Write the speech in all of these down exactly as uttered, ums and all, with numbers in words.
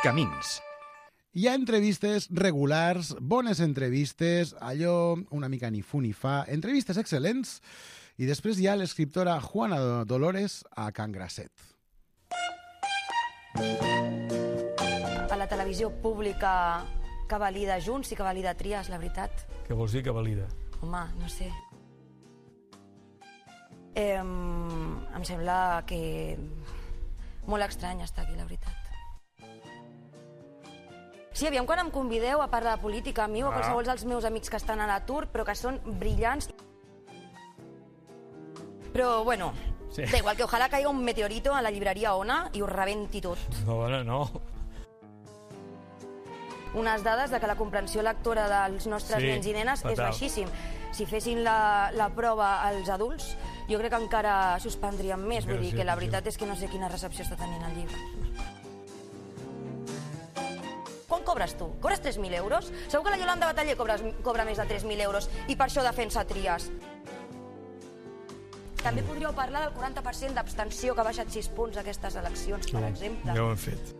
Camins. Hi ha entrevistes regulars, bones entrevistes, allò una mica ni fu ni fa, entrevistes excel·lents, i després hi ha l'escriptora Juana Dolores a Can Grasset. A la televisió pública que valida Junts i que valida Trias, la veritat. Què vols dir que valida? Home, no sé. Eh, em sembla que molt estrany estar aquí, la veritat. Sí, aviam quan em convideu a parlar de política a mi o a qualsevol dels meus amics que estan a l'atur, però que són brillants. Però, bueno, Sí. da igual, que ojalà caiga un meteorito a la llibreria Ona i ho rebenti tot. No, bueno, no. Unes dades de que la comprensió lectora dels nostres Sí, nens i nenes és fatal. baixíssim. Si fessin la, la prova als adults, jo crec que encara suspendríem més. Vull dir que la veritat és que no sé quina recepció està tenint el llibre. Quan cobres tu? Cobres tres mil euros? Segur que la Yolanda Bataller cobra, cobra més de tres mil euros i per això defensa Trias. També podríeu parlar del quaranta per cent d'abstenció que ha baixat sis punts aquestes eleccions, per exemple. Ja ho hem fet.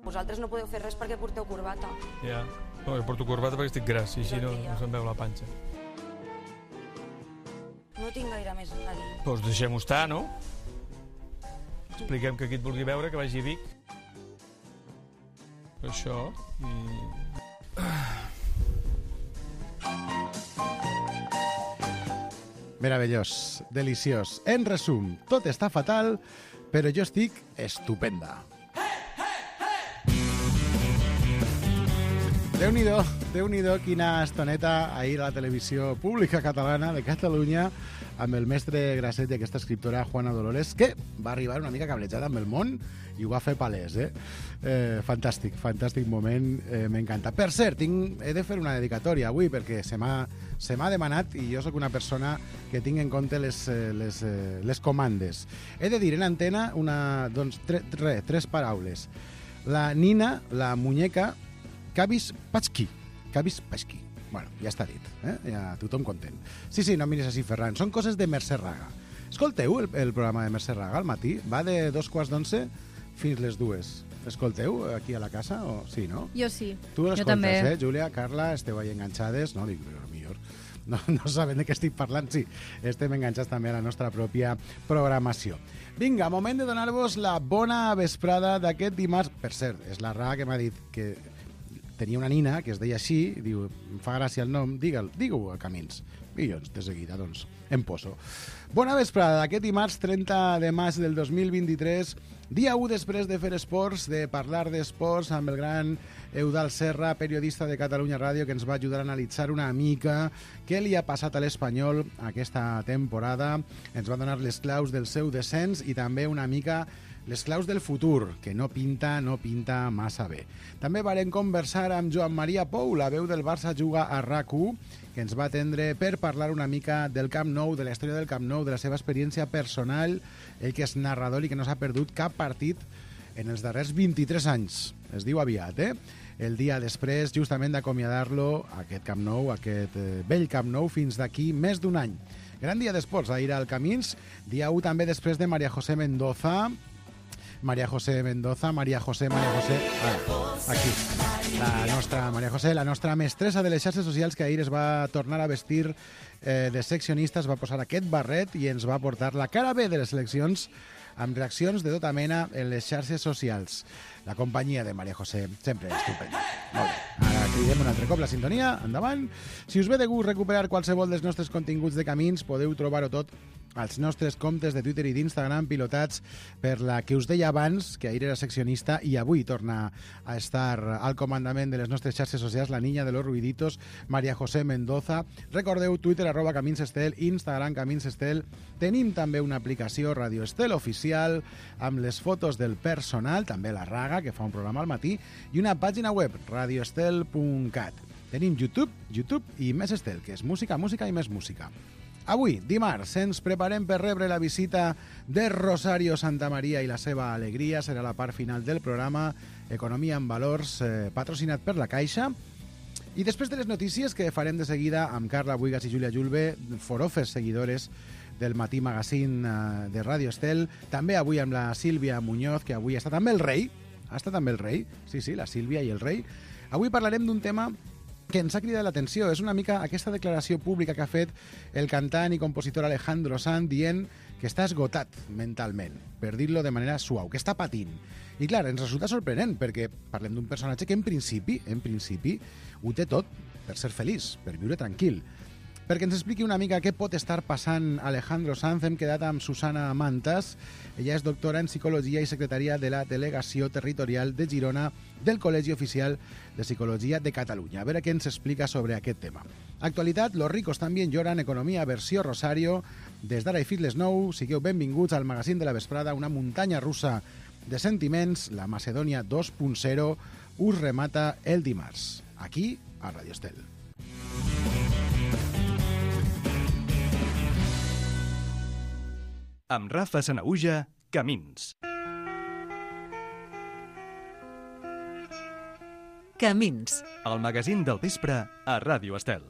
Vosaltres no podeu fer res perquè porteu corbata. Ja. No, jo porto corbata perquè estic gras i així no, no se'm veu la panxa. No tinc gaire més a dir. Doncs deixem-ho estar, no? Expliquem que qui et vulgui veure, que vagi a Vic. Això, i... Meravellós, deliciós. En resum, tot està fatal, però jo estic estupenda. Déu-n'hi-do, Déu-n'hi-do quina estoneta ahir a la televisió pública catalana de Catalunya amb el mestre Grasset i aquesta escriptora Juana Dolores, que va arribar una mica cablejada amb el món i ho va fer palès, eh? eh fantàstic, fantàstic moment, eh, m'encanta. Per cert, tinc, he de fer una dedicatòria avui perquè se m'ha se m'ha demanat i jo sóc una persona que tinc en compte les, les, les comandes. He de dir en antena una, doncs, tre, tre, tres paraules. La nina, la muñeca, Cabis Patxki. Cabis Patxki. Bueno, ja està dit, eh? Ja tothom content. Sí, sí, no miris així, Ferran. Són coses de Mercè Raga. Escolteu el, el programa de Mercè Raga al matí? Va de dos quarts d'onze fins les dues. Escolteu aquí a la casa? O... Sí, no? Jo sí. Tu Jo també. l'escoltes, eh? Júlia, Carla, esteu ahí enganxades. No, dic, però millor. No, no saben de què estic parlant. Sí, estem enganxats també a la nostra pròpia programació. Vinga, moment de donar-vos la bona vesprada d'aquest dimarts. Per cert, és la Raga que m'ha dit que tenia una nina que es deia així, diu, em fa gràcia el nom, digue-ho digue a Camins. I jo, de seguida, doncs, em poso. Bona vesprada d'aquest dimarts trenta de maig del dos mil vint-i-tres, dia u després de fer esports, de parlar d'esports amb el gran Eudald Serra, periodista de Catalunya Ràdio, que ens va ajudar a analitzar una mica què li ha passat a l'Espanyol aquesta temporada. Ens va donar les claus del seu descens i també una mica les claus del futur, que no pinta, no pinta massa bé. També varem conversar amb Joan Maria Pou, la veu del Barça juga a RAC u, que ens va atendre per parlar una mica del Camp Nou, de la història del Camp Nou, de la seva experiència personal, ell que és narrador i que no s'ha perdut cap partit en els darrers vint-i-tres anys. Es diu aviat, eh? El dia després, justament d'acomiadar-lo, aquest Camp Nou, aquest eh, vell Camp Nou, fins d'aquí més d'un any. Gran dia d'esports ahir al Camins, dia u també després de María José Mendoza, María José Mendoza, María José, María José, ah, aquí, la nostra María José, la nostra mestressa de les xarxes socials, que ahir es va tornar a vestir eh, de seccionista, es va posar aquest barret i ens va portar la cara B de les eleccions amb reaccions de tota mena en les xarxes socials. La companyia de María José, sempre estupenda. Molt bé. Ara cridem un altre cop la sintonia, endavant. Si us ve de gust recuperar qualsevol dels nostres continguts de Camins, podeu trobar-ho tot als nostres comptes de Twitter i d'Instagram pilotats per la que us deia abans, que ahir era seccionista i avui torna a estar al comandament de les nostres xarxes socials, la niña de los ruiditos, María José Mendoza. Recordeu, Twitter, arroba Camins Estel, Instagram, Camins Estel. Tenim també una aplicació Radio Estel oficial amb les fotos del personal, també la Raga, que fa un programa al matí, i una pàgina web, radio estel punt cat. Tenim YouTube, YouTube i Més Estel, que és música, música i més música. Avui, dimarts, ens preparem per rebre la visita de Rosario Santamaría i la seva alegria. Serà la part final del programa Economia en Valors, eh, patrocinat per la Caixa. I després de les notícies que farem de seguida amb Carla Buigas i Júlia Julve, forofes seguidores del Matí Magazine eh, de Ràdio Estel. També avui amb la Sílvia Muñoz, que avui està també el rei. Ha estat també el rei. Sí, sí, la Sílvia i el rei. Avui parlarem d'un tema que ens ha cridat l'atenció. És una mica aquesta declaració pública que ha fet el cantant i compositor Alejandro Sanz dient que està esgotat mentalment, per dir-lo de manera suau, que està patint. I clar, ens resulta sorprenent, perquè parlem d'un personatge que en principi, en principi, ho té tot per ser feliç, per viure tranquil. Perquè ens expliqui una mica què pot estar passant Alejandro Sanz, hem quedat amb Susana Mantas. Ella és doctora en Psicologia i secretària de la Delegació Territorial de Girona del Col·legi Oficial de Psicologia de Catalunya. A veure què ens explica sobre aquest tema. Actualitat, los ricos también lloran, economia, versió Rosario. Des d'ara i fins les nou, sigueu benvinguts al magazín de la vesprada, una muntanya russa de sentiments. La Macedònia dos punt zero us remata el dimarts, aquí a Ràdio Estel. Amb Rafa Sanaüja, Camins. Camins. El magazín del vespre a Ràdio Estel.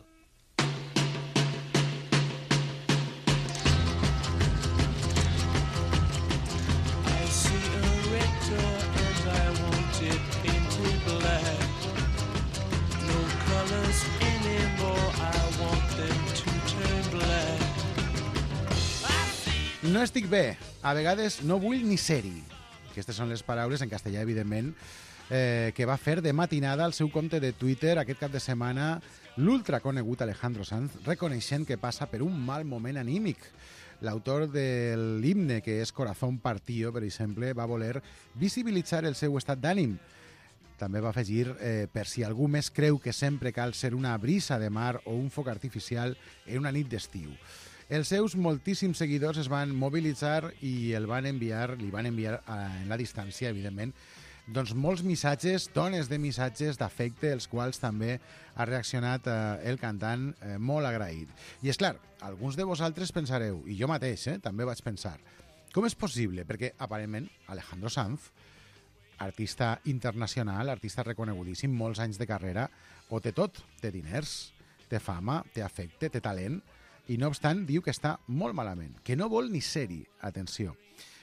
No estic bé, a vegades no vull ni ser-hi. Aquestes són les paraules, en castellà, evidentment, eh, que va fer de matinada al seu compte de Twitter aquest cap de setmana l'ultraconegut Alejandro Sanz, reconeixent que passa per un mal moment anímic. L'autor de l'himne, que és Corazón Partido, per exemple, va voler visibilitzar el seu estat d'ànim. També va afegir, eh, per si algú més creu que sempre cal ser una brisa de mar o un foc artificial en una nit d'estiu. Els seus moltíssims seguidors es van mobilitzar i el van enviar, li van enviar eh, en la distància, evidentment, doncs molts missatges, tones de missatges d'afecte, els quals també ha reaccionat eh, el cantant eh, molt agraït. I és clar, alguns de vosaltres pensareu, i jo mateix eh, també vaig pensar, com és possible? Perquè aparentment Alejandro Sanz, artista internacional, artista reconegudíssim, molts anys de carrera, ho té tot, té diners, té fama, té afecte, té talent, i no obstant diu que està molt malament, que no vol ni ser-hi, atenció.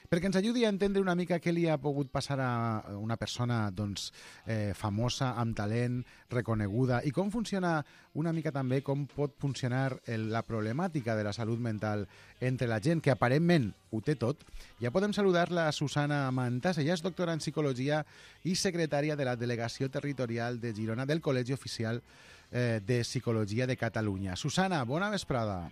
Perquè ens ajudi a entendre una mica què li ha pogut passar a una persona doncs, eh, famosa, amb talent, reconeguda, i com funciona una mica també, com pot funcionar el, la problemàtica de la salut mental entre la gent que aparentment ho té tot. Ja podem saludar la Susana Mantas, ella és doctora en Psicologia i secretària de la Delegació Territorial de Girona del Col·legi Oficial de Psicologia de Catalunya. Susana, bona vesprada.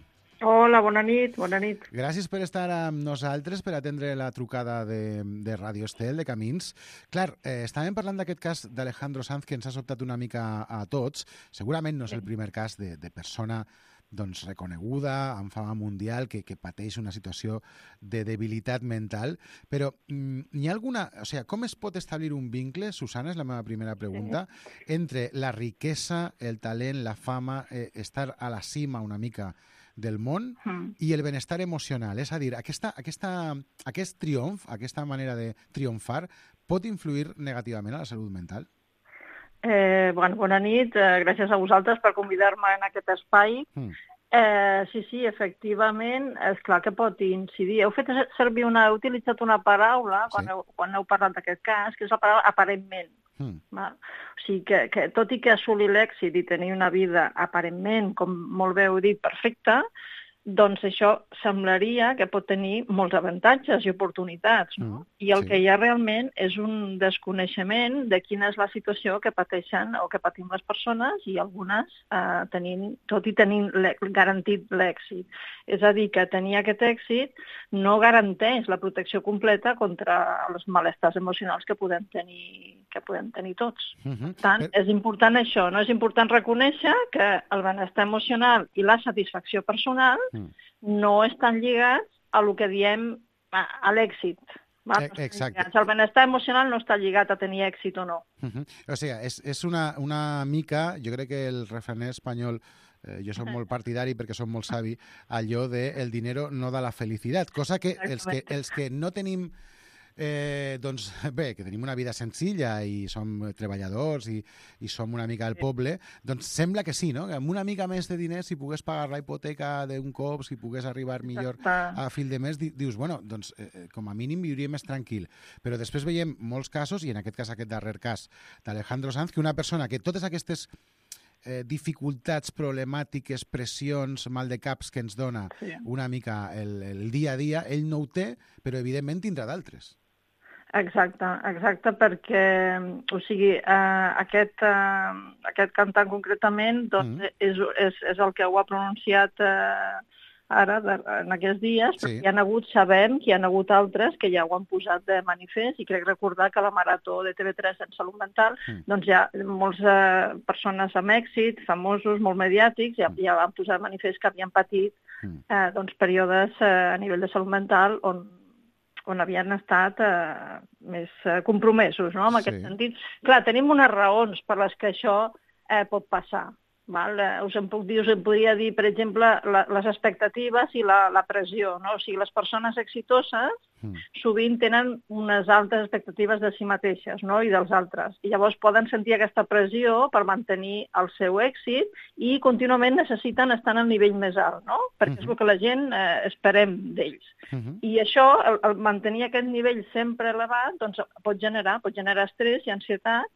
Hola, bona nit, bona nit. Gràcies per estar amb nosaltres, per atendre la trucada de, de Ràdio Estel, de Camins. Clar, eh, estàvem parlant d'aquest cas d'Alejandro Sanz que ens ha sobtat una mica a tots. Segurament no és el primer cas de, de persona doncs, reconeguda, amb fama mundial, que, que pateix una situació de debilitat mental, però mm, hi ha alguna... O sigui, com es pot establir un vincle, Susana, és la meva primera pregunta, entre la riquesa, el talent, la fama, eh, estar a la cima una mica del món mm. i el benestar emocional? És a dir, aquesta, aquesta, aquest triomf, aquesta manera de triomfar, pot influir negativament a la salut mental? Eh, bueno, bona nit, eh, gràcies a vosaltres per convidar-me en aquest espai. Mm. Eh, sí, sí, efectivament, és clar que pot incidir. Heu fet servir una, heu utilitzat una paraula quan, sí. heu, quan heu parlat d'aquest cas, que és la paraula aparentment. Mm. Val? O sigui que, que tot i que assolir l'èxit i tenir una vida aparentment, com molt bé heu dit, perfecta, doncs això semblaria que pot tenir molts avantatges i oportunitats, no? Mm, I el sí. que hi ha realment és un desconeixement de quina és la situació que pateixen o que patim les persones i algunes eh, tenint, tot i tenint garantit l'èxit. És a dir, que tenir aquest èxit no garanteix la protecció completa contra els malestars emocionals que podem tenir, que podem tenir tots. Mm-hmm. Per tant, és important això, no? És important reconèixer que el benestar emocional i la satisfacció personal no estan lligats a el que diem a, a l'èxit. Exacte. El benestar emocional no està lligat a tenir èxit o no. Uh-huh. O sigui, és, és una, una mica, jo crec que el refraner espanyol, eh, jo soc molt partidari perquè som molt savi, allò de el dinero no da la felicitat, cosa que els que, els que no tenim Eh, doncs bé, que tenim una vida senzilla i som treballadors i, i som una mica del poble, doncs sembla que sí, no? Que amb una mica més de diners, si pogués pagar la hipoteca d'un cop, si pogués arribar millor a fil de mes, dius, bueno, doncs eh, com a mínim viuria més tranquil. Però després veiem molts casos, i en aquest cas aquest darrer cas d'Alejandro Sanz, que una persona que totes aquestes eh, dificultats, problemàtiques, pressions, mal de caps que ens dona sí. una mica el, el dia a dia, ell no ho té, però evidentment tindrà d'altres. Exacte, exacte, perquè, o sigui, eh, aquest, eh, aquest cantant concretament doncs, mm. és, és, és el que ho ha pronunciat eh, ara, de, en aquests dies, sí. Hi ha hagut, sabem que hi ha hagut altres que ja ho han posat de manifest, i crec recordar que la Marató de T V tres en Salut Mental, mm. doncs hi ha moltes eh, persones amb èxit, famosos, molt mediàtics, ja, ja van posar de manifest que havien patit eh, doncs, períodes eh, a nivell de salut mental on on havien estat eh, més eh, compromesos, no?, en aquest sí. sentit. Clar, tenim unes raons per les que això eh, pot passar. Val? Eh, us en puc dir, us en podria dir, per exemple, la, les expectatives i la, la pressió, no? O sigui, les persones exitoses mm. sovint tenen unes altes expectatives de si mateixes, no?, i dels altres. I llavors poden sentir aquesta pressió per mantenir el seu èxit i contínuament necessiten estar al nivell més alt, no?, perquè mm-hmm. és el que la gent eh, esperem d'ells. Mm-hmm. I això, el, el mantenir aquest nivell sempre elevat, doncs pot generar, pot generar estrès i ansietat,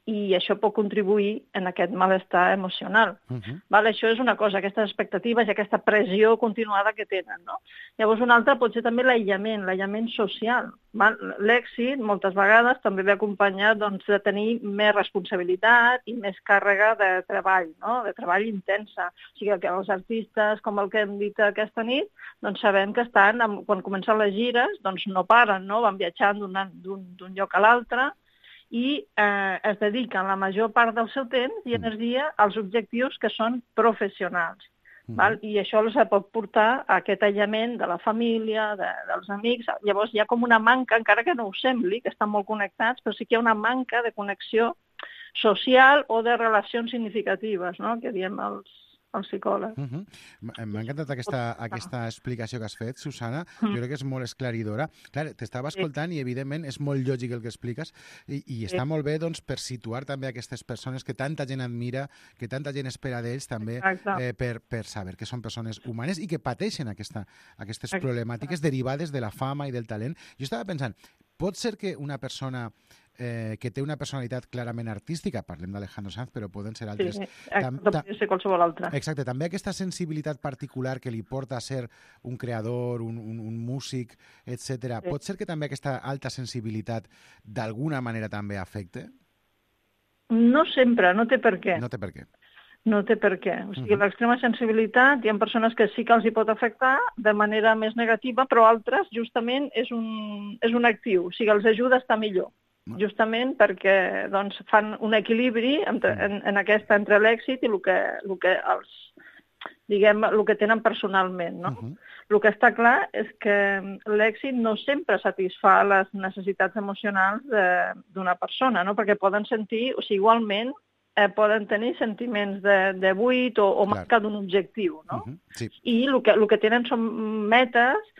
i això pot contribuir en aquest malestar emocional. Uh-huh. Val? Això és una cosa, aquestes expectatives i aquesta pressió continuada que tenen. No? Llavors, una altra pot ser també l'aïllament, l'aïllament social. Val? L'èxit, moltes vegades, també ve acompanyat doncs, de tenir més responsabilitat i més càrrega de treball, no? De treball intensa. O sigui, que els artistes, com el que hem dit aquesta nit, doncs sabem que estan, quan comencen les gires, doncs no paren, no? Van viatjant d'un lloc a l'altre, i eh, es dediquen la major part del seu temps i energia als objectius que són professionals. Mm. Val? I això els pot portar a aquest aïllament de la família, de, dels amics. Llavors hi ha com una manca, encara que no ho sembli, que estan molt connectats, però sí que hi ha una manca de connexió social o de relacions significatives, no?, que diem els, els psicòlegs. Uh-huh. M'ha encantat aquesta, aquesta explicació que has fet, Susana. Uh-huh. Jo crec que és molt esclaridora. Clar, t'estava escoltant sí. i, evidentment, és molt lògic el que expliques i, i està sí. molt bé doncs, per situar també aquestes persones que tanta gent admira, que tanta gent espera d'ells també eh, per, per saber que són persones humanes i que pateixen aquesta, aquestes Exacte. problemàtiques derivades de la fama i del talent. Jo estava pensant, pot ser que una persona eh, que té una personalitat clarament artística, parlem d'Alejandro Sanz, però poden ser altres... Sí, tam, tam, pot ser qualsevol altra. Exacte, també aquesta sensibilitat particular que li porta a ser un creador, un, un, un músic, etcètera. Sí. Pot ser que també aquesta alta sensibilitat d'alguna manera també afecte? No sempre, no té per què. No té per què. No té per què. O sigui, uh-huh. l'extrema sensibilitat, hi ha persones que sí que els hi pot afectar de manera més negativa, però altres, justament, és un, és un actiu. O sigui, els ajuda a estar millor. Uh-huh. Justament perquè doncs, fan un equilibri entre, en, en aquesta, entre l'èxit i el que, el que els, diguem, el que tenen personalment, no? Uh-huh. El que està clar és que l'èxit no sempre satisfà les necessitats emocionals d'una persona, no? Perquè poden sentir, o sigui, igualment, Eh, poden tenir sentiments de, de buit o, o manca d'un objectiu, no? Uh-huh, sí. I el que, el que tenen són metes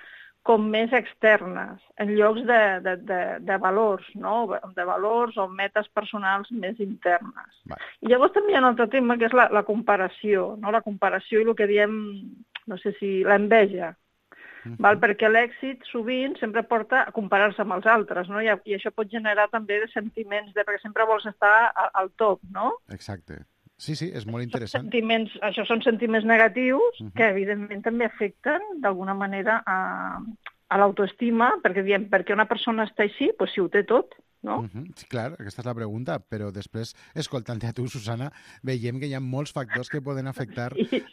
com més externes, en llocs de, de, de, de valors, no? De valors o metes personals més internes. Va. I llavors també hi ha un altre tema, que és la, la comparació, no? La comparació i el que diem, no sé si, l'enveja. Uh-huh. Val? Perquè l'èxit sovint sempre porta a comparar-se amb els altres, no? I, i això pot generar també sentiments, de, perquè sempre vols estar a, al top, no? Exacte. Sí, sí, és molt interessant. Sentiments, això són sentiments negatius uh-huh. que, evidentment, també afecten d'alguna manera a, a l'autoestima, perquè diem, perquè una persona està així, doncs si ho té tot, no? Uh-huh. Sí, clar, aquesta és la pregunta, però després, escoltant-te a tu, Susana, veiem que hi ha molts factors que poden afectar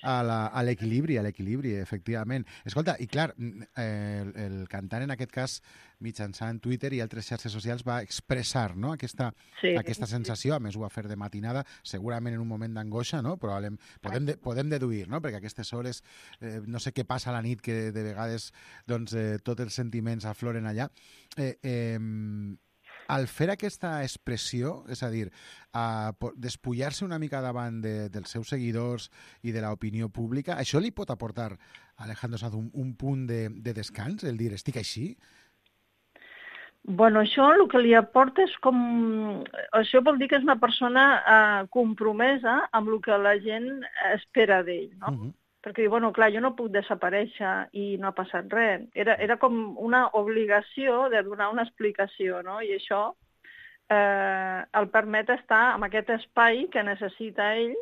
a l'equilibri, a l'equilibri, efectivament. Escolta, i clar, eh, el, el cantant en aquest cas, mitjançant Twitter i altres xarxes socials, va expressar, no?, aquesta, sí, aquesta sensació, a més ho va fer de matinada, segurament en un moment d'angoixa, no? Probablement, podem, de, podem deduir, no?, perquè a aquestes hores, eh, no sé què passa a la nit, que de vegades doncs, eh, tots els sentiments afloren allà. Eh, eh, Al fer aquesta expressió, és a dir, a despullar-se una mica davant de, dels seus seguidors i de l'opinió pública, això li pot aportar a Alejandro Sanz un, un punt de, de descans, el dir, estic així? Bueno, això el que li aporta és com... Això vol dir que és una persona eh, compromesa amb el que la gent espera d'ell, no? Uh-huh. Perquè, bueno, clar, jo no puc desaparèixer i no ha passat res. Era, era com una obligació de donar una explicació, no? I això eh, el permet estar en aquest espai que necessita ell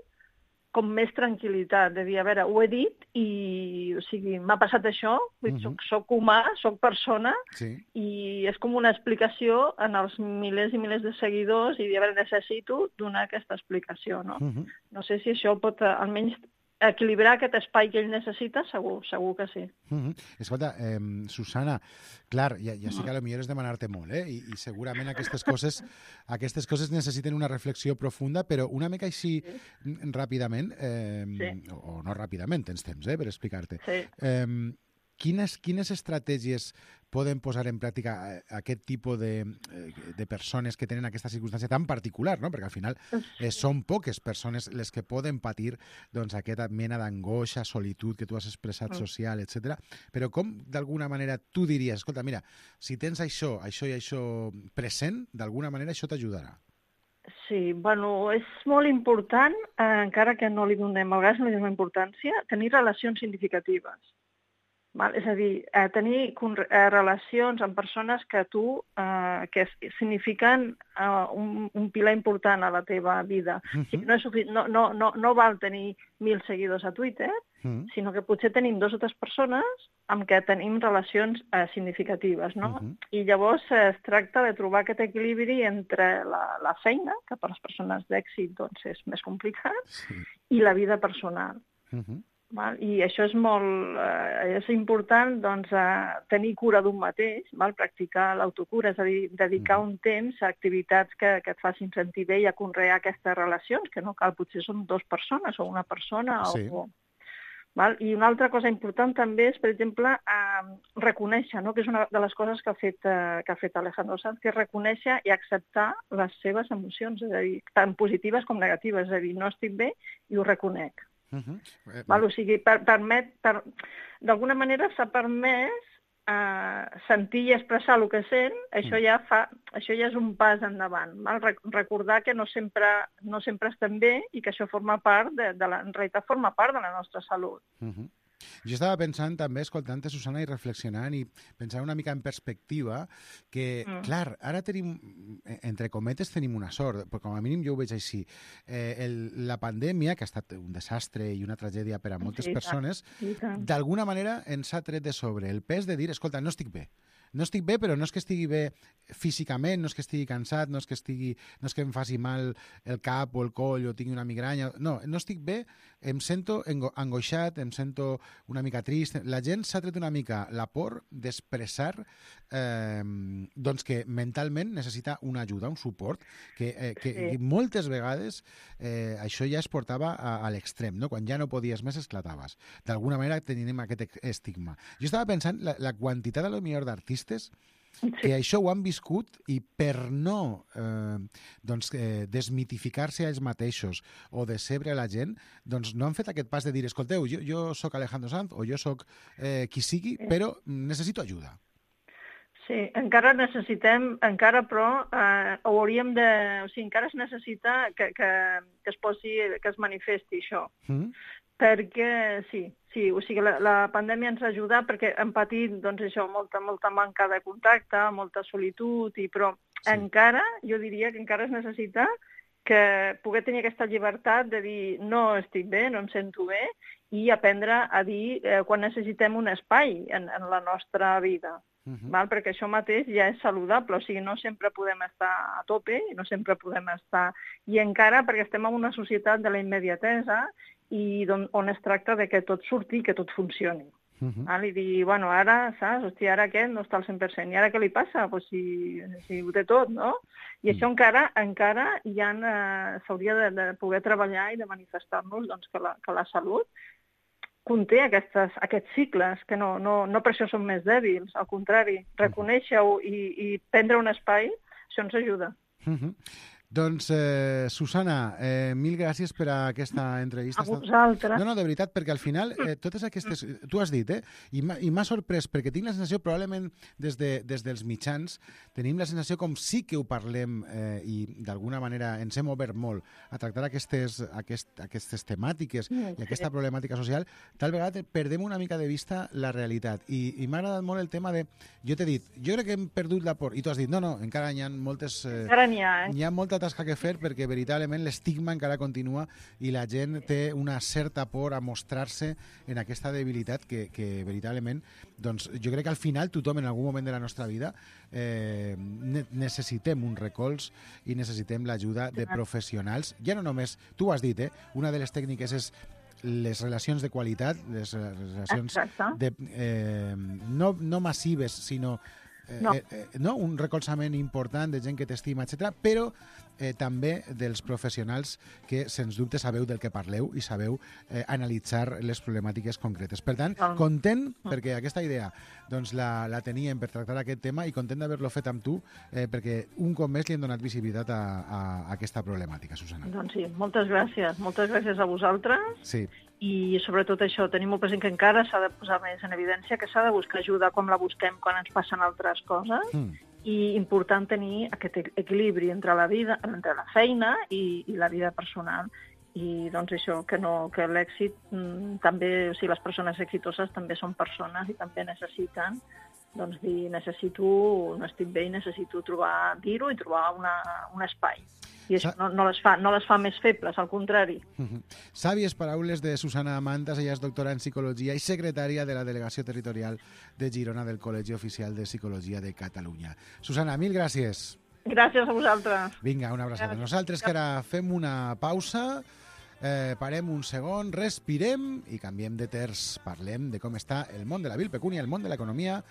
com més tranquil·litat, de dir, a veure, ho he dit i, o sigui, m'ha passat això, vull dir, Mhm. soc, soc humà, soc persona, Sí. i és com una explicació en els milers i milers de seguidors i dir, a veure, necessito donar aquesta explicació, no? Mhm. No sé si això pot, eh, almenys, equilibrar aquest espai que ell necessita, segur, segur que sí. Mhm. Escolta, eh, Susana, clar, ja, ja sé que potser és demanar-te molt, eh? I, i segurament aquestes coses, aquestes coses necessiten una reflexió profunda, però una mica així mm, ràpidament, eh, Sí. o, o no ràpidament, tens temps eh, per explicar-te. Sí. Eh, quines, quines estratègies poden posar en pràctica eh, aquest tipus de, eh, de persones que tenen aquesta circumstància tan particular, no? Perquè al final eh, són poques persones les que poden patir doncs, aquesta mena d'angoixa, solitud que tu has expressat, social, etcètera. Però com, d'alguna manera, tu diries, escolta, mira, si tens això, això i això present, d'alguna manera això t'ajudarà. Sí, bueno, és molt important, eh, encara que no li donem, a vegades no li donem importància, tenir relacions significatives. Val? És a dir, eh, tenir eh, relacions amb persones que tu, eh, que signifiquen eh, un, un pilar important a la teva vida. Uh-huh. O sigui, no, és sufic... no, no, no, no val tenir mil seguidors a Twitter, uh-huh. sinó que potser tenim dos o tres persones amb què tenim relacions eh, significatives, no? Uh-huh. I llavors eh, es tracta de trobar aquest equilibri entre la, la feina, que per les persones d'èxit doncs, és més complicat, sí. i la vida personal. Uh-huh. Val? I això és molt eh, és important doncs, eh, tenir cura d'un mateix, val? Practicar l'autocura, és a dir, dedicar un temps a activitats que, que et facin sentir bé i a conrear aquestes relacions, que no cal, potser són dues persones o una persona. Sí. O, val? I una altra cosa important també és, per exemple, eh, reconèixer, no? Que és una de les coses que ha fet, eh, que ha fet Alejandro Sanz, que és reconèixer i acceptar les seves emocions, és a dir, tant positives com negatives, és a dir, no estic bé i ho reconec. Uh-huh. Val? O sigui, per, permet, per, d'alguna manera s'ha permès eh, sentir i expressar el que sent, això ja, fa, això ja és un pas endavant. Val? Recordar que no sempre, no sempre estem bé i que això forma part, de, de la, en realitat forma part de la nostra salut. Uh-huh. Jo estava pensant també, escoltant-te, Susana, i reflexionant i pensant una mica en perspectiva que, mm. clar, ara tenim, entre cometes, tenim una sort, però com a mínim jo ho veig així. Eh, el, la pandèmia, que ha estat un desastre i una tragèdia per a moltes sí, persones, d'alguna manera ens ha tret de sobre el pes de dir, escolta, no estic bé. No estic bé, però no és que estigui bé físicament, no és que estigui cansat, no és que, estigui, no és que em faci mal el cap o el coll o tingui una migranya. No, no estic bé, em sento angoixat, em sento una mica trist. La gent s'ha tret una mica la por d'expressar eh, doncs que mentalment necessita una ajuda, un suport, que, eh, que sí. moltes vegades eh, això ja es portava a, a l'extrem, no? Quan ja no podies més esclataves. D'alguna manera tenim aquest estigma. Jo estava pensant la, la quantitat a lo millor d'artistes sí. que això ho han viscut i per no eh, doncs, eh, desmitificar-se a ells mateixos o decebre la gent, doncs no han fet aquest pas de dir, escolteu, jo, jo sóc Alejandro Sanz o jo sóc eh, qui sigui, sí. però necessito ajuda. Sí, encara necessitem, encara però eh, hauríem de... O sigui, encara es necessita que, que, que es posi, que es manifesti això. Mm. Perquè, sí, sí, o sigui, la, la pandèmia ens ha ajudat perquè hem patit, doncs, això, molta, molta manca de contacte, molta solitud, i, però sí. encara, jo diria que encara es necessita que poder tenir aquesta llibertat de dir no estic bé, no em sento bé, i aprendre a dir eh, quan necessitem un espai en, en la nostra vida. Uh-huh. Val? Perquè això mateix ja és saludable, o sigui, no sempre podem estar a tope, no sempre podem estar... I encara perquè estem en una societat de la immediatesa i on, on es tracta de que tot surti i que tot funcioni. Uh-huh. Val? I dir, bueno, ara, saps, hòstia, ara aquest no està al cent per cent, i ara què li passa? Pues si, si ho té tot, no? I uh-huh. això encara encara ja eh, s'hauria de, de poder treballar i de manifestar-nos doncs, que, la, que la salut conté aquestes, aquests cicles, que no, no, no per això som més dèbils, al contrari, reconèixer-ho i, i prendre un espai, això ens ajuda. Uh-huh. Doncs, eh, Susana, eh, mil gràcies per a aquesta entrevista. A vosaltres. No, no, de veritat, perquè al final eh, totes aquestes... Tu has dit, eh? I m'ha sorprès, perquè tinc la sensació, probablement des, de, des dels mitjans, tenim la sensació com sí que ho parlem eh, i d'alguna manera ens hem obert molt a tractar aquestes, aquest, aquestes temàtiques i aquesta problemàtica social, tal vegada perdem una mica de vista la realitat. I, i m'ha agradat molt el tema de... Jo t'he dit, jo crec que hem perdut la por. I tu has dit, no, no, encara hi ha moltes... Eh, encara n'hi ha, eh? Hi ha molta tasca que fer perquè veritablement l'estigma encara continua i la gent té una certa por a mostrar-se en aquesta debilitat que, que veritablement, doncs jo crec que al final tothom en algun moment de la nostra vida eh, ne necessitem un recolz i necessitem l'ajuda de professionals. Ja no només, tu ho has dit, eh? Una de les tècniques és les relacions de qualitat, les relacions de, eh, no, no massives, sinó No. Eh, eh, no? un recolzament important de gent que t'estima, etcètera, però eh, també dels professionals que, sens dubte, sabeu del que parleu i sabeu eh, analitzar les problemàtiques concretes. Per tant, content, perquè aquesta idea doncs, la, la teníem per tractar aquest tema i content d'haver-lo fet amb tu, eh, perquè un cop més li hem donat visibilitat a, a, a aquesta problemàtica, Susana. Doncs sí, moltes gràcies. Moltes gràcies a vosaltres. Sí. I sobretot això, tenim molt present que encara s'ha de posar més en evidència, que s'ha de buscar ajuda com la busquem quan ens passen altres coses, mm. i important tenir aquest equilibri entre la vida, entre la feina i, i la vida personal. I doncs això, que, no, que l'èxit mm, també, o sigui, les persones exitoses també són persones i també necessiten doncs dir, necessito, no estic bé i necessito trobar, dir-ho i trobar una, un espai. I això no, no, les fa, no les fa més febles, al contrari. Uh-huh. Sàvies paraules de Susana Mantas, ella és doctora en Psicologia i secretària de la Delegació Territorial de Girona del Col·legi Oficial de Psicologia de Catalunya. Susana, mil gràcies. Gràcies a vosaltres. Vinga, una abraçada. Nosaltres que ara fem una pausa, eh, parem un segon, respirem i canviem de terç. Parlem de com està el món de la vilpecúnia, el món de l'economia.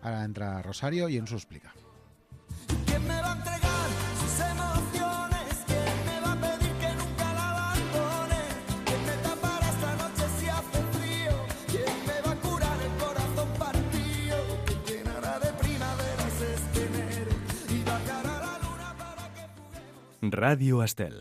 Ara entra Rosario i ens ho explica. ¿Quién me va a entregar sus emociones? ¿Quién me va a pedir que nunca la abandone? ¿Quién me tapará esta noche si hace frío? ¿Quién me va a curar el corazón partido? ¿Quién llenará de primaveras este enero y bajará la luna para que juguemos? Radio Estel.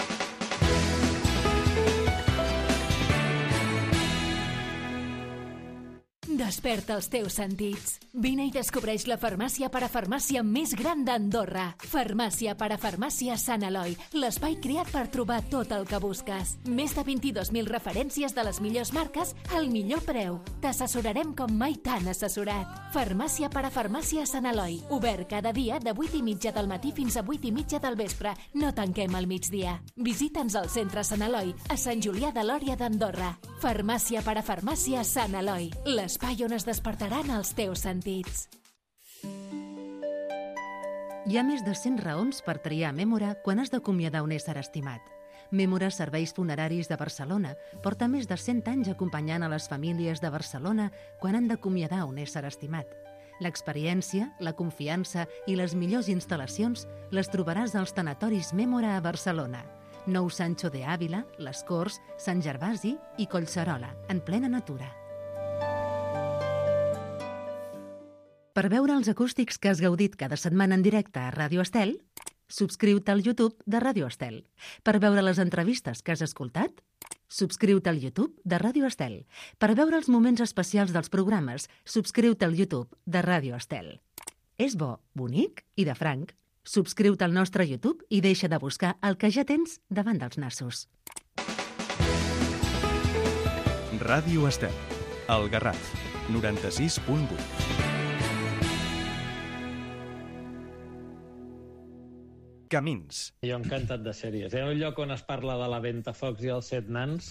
Desperta els teus sentits. Vine i descobreix la farmàcia parafarmàcia més gran d'Andorra. Farmàcia parafarmàcia Sant Eloi, l'espai creat per trobar tot el que busques. Més de vint-i-dos mil referències de les millors marques al millor preu. T'assessorarem com mai t'han assessorat. Farmàcia parafarmàcia Sant Eloi, obert cada dia de vuit i mitja del matí fins a vuit i mitja del vespre. No tanquem al migdia. Visita'ns al centre Sant Eloi, a Sant Julià de Lòria d'Andorra. Farmàcia parafarmàcia Sant Eloi, l'espai on es despertaran els teus sentits. Hi ha més de cent raons per triar Mémora quan has d'acomiadar un ésser estimat. Mémora Serveis Funeraris de Barcelona porta més de cent anys acompanyant a les famílies de Barcelona quan han d'acomiadar un ésser estimat. L'experiència, la confiança i les millors instal·lacions les trobaràs als tanatoris Mémora a Barcelona. Nou Sancho de Ávila, Les Corts, Sant Gervasi i Collserola, en plena natura. Per veure els acústics que has gaudit cada setmana en directe a Ràdio Estel, subscriu-te al YouTube de Ràdio Estel. Per veure les entrevistes que has escoltat, subscriu-te al YouTube de Ràdio Estel. Per veure els moments especials dels programes, subscriu-te al YouTube de Ràdio Estel. És bo, bonic i de franc. Subscriu-te al nostre YouTube i deixa de buscar el que ja tens davant dels nassos. Ràdio Estel, El Garraf, noranta-sis punt vuit. Camins. Jo encantat de sèries. Hi ha un lloc on es parla de la Ventafocs i els set nans,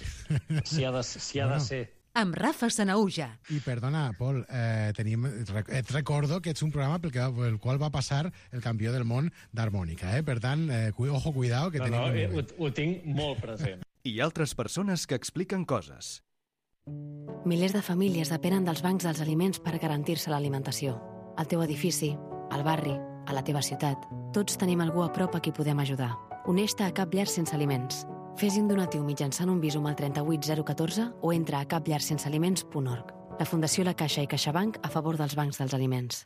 si ha de, si ha de ser. Amb Rafa Sanauja. I perdona, Pol, eh, tenim, et recordo que ets un programa pel, que, pel qual va passar el campió del món d'harmònica, eh? Per tant, eh, ojo, cuidao, que no, tenim... No, eh, ho, ho tinc molt present. I altres persones que expliquen coses. Milers de famílies depenen dels bancs dels aliments per garantir-se l'alimentació. Al teu edifici, al barri, a la teva ciutat, tots tenim algú a prop a qui podem ajudar. Uneix-te a Cap Llar Sense Aliments. Fes un donatiu mitjançant un Bizum al trenta-vuit zero catorze o entra a cap llar sense aliments punt org. La Fundació La Caixa i CaixaBank a favor dels bancs dels aliments.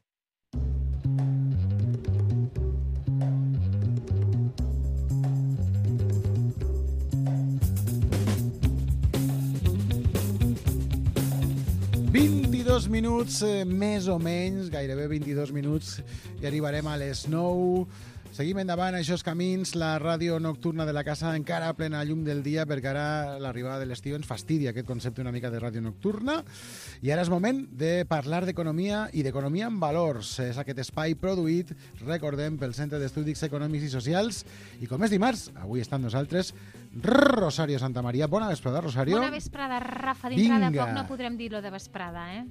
vint-i-dos minuts, eh, més o menys, gairebé vint-i-dos minuts, i arribarem a les nou. Seguim endavant, això és Camins, la ràdio nocturna de la casa, encara a plena llum del dia, perquè ara l'arribada de l'estiu ens fastidia aquest concepte una mica de ràdio nocturna. I ara és moment de parlar d'economia i d'economia amb valors. És aquest espai produït, recordem, pel Centre d'Estudis Econòmics i Socials. I com és dimarts, avui està amb nosaltres Rosario Santamaría. Bona vesprada, Rosario. Bona vesprada, Rafa. Dintre Vinga. de poc no podrem dir lo de vesprada, eh?